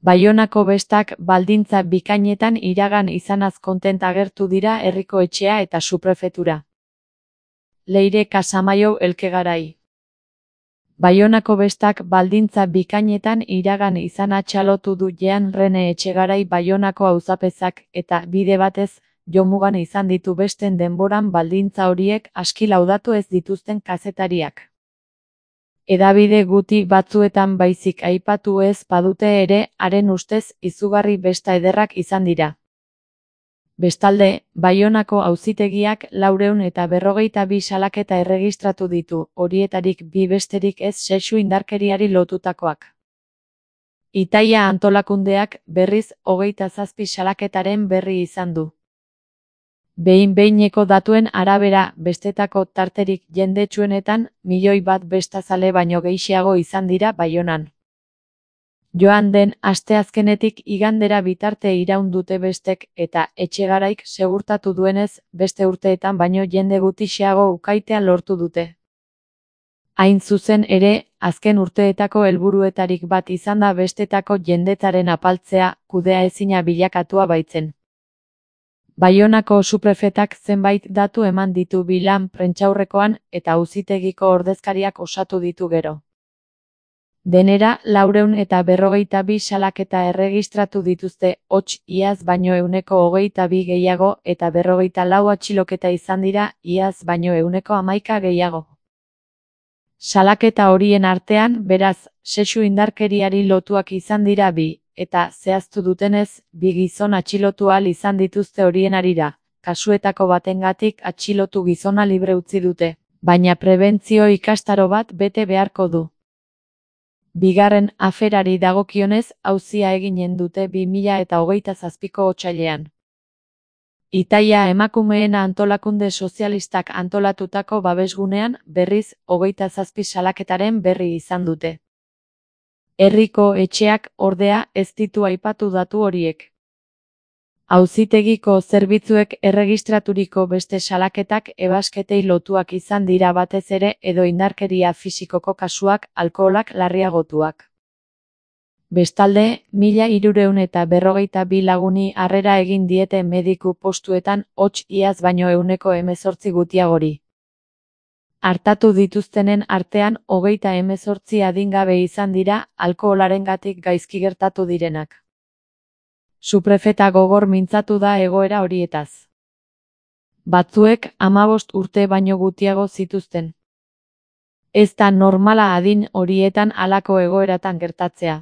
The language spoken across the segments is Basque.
Baionako bestak baldintza bikainetan iragan izanaz kontent agertu dira herriko etxea eta suprefetura. Leire Casamaiou Elkegarai. Baionako bestak baldintza bikainetan iragan izana txalotu du Jean Rene Etxegarai Baionako auzapezak eta bide batez jomugan izan ditu besten denboran baldintza horiek aski laudatu ez dituzten kazetariak. Hedabide guti batzuetan baizik aipatu ez badute ere, haren ustez izugarri besta ederrak izan dira. Bestalde, Baionako auzitegiak 452 salaketa erregistratu ditu, horietarik 2 besterik ez sexu indarkeriari lotutakoak. Itaia antolakundeak, berriz, 27 salaketaren berri izan du. Behin-behineko datuen arabera, bestetako tarterik jendetsuenetan, 1.000.000 bestazale baino gehiago izan dira Baionan. Joan den asteazkenetik igandera bitarte iraun dute bestek eta Etxegaraik segurtatu duenez, beste urteetan baino jende gutxiago ukaitea lortu dute. Hain zuzen ere, azken urteetako helburuetarik bat izan da bestetako jendetaren apaltzea, kudeaezina bilakatua baitzen. Baionako suprefetak zenbait datu eman ditu bilan prentsaurrekoan eta auzitegiko ordezkariak osatu ditu gero. Denera, 452 salaketa erregistratu dituzte, hots iaz baino 122 gehiago eta 44 atxiloketa izan dira, iaz baino 11 gehiago. Salaketa horien artean, beraz, sexu indarkeriari lotuak izan dira 2, eta zehaztu dutenez, 2 gizon atxilotu ahal izan dituzte horien harira, kasuetako batengatik atxilotu gizona libre utzi dute, baina prebentzio ikastaro bat bete beharko du. Bigarren aferari dagokionez, auzia eginen dute 2027ko otsailean. Itaia emakumeen antolakunde sozialistak antolatutako babesgunean, berriz, 27 salaketaren berri izan dute. Herriko etxeak, ordea, ez ditu aipatu datu horiek. Auzitegiko zerbitzuek erregistraturiko beste salaketak ebasketei lotuak izan dira batez ere edo indarkeria fisikoko kasuak, alkoholak larriagotuak. Bestalde, 1.352 laguni harrera egin diete mediku postuetan, hots iaz baino 18 gutiagori. Artatu dituztenen artean 38 adingabe izan dira, alkoholarengatik gaizki gertatu direnak. Suprefeta gogor mintzatu da egoera horietaz. Batzuek 15 urte baino gutiago zituzten. Ez da normala adin horietan halako egoeratan gertatzea.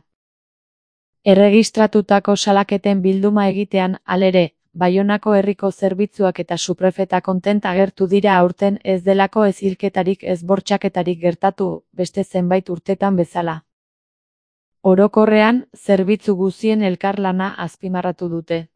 Erregistratutako salaketen bilduma egitean, halere, Baionako herriko zerbitzuak eta suprefeta kontent agertu dira aurten ez delako ez hilketarik ez bortxaketarik gertatu, beste zenbait urtetan bezala. Orokorrean, zerbitzu guztien elkarlana azpimarratu dute.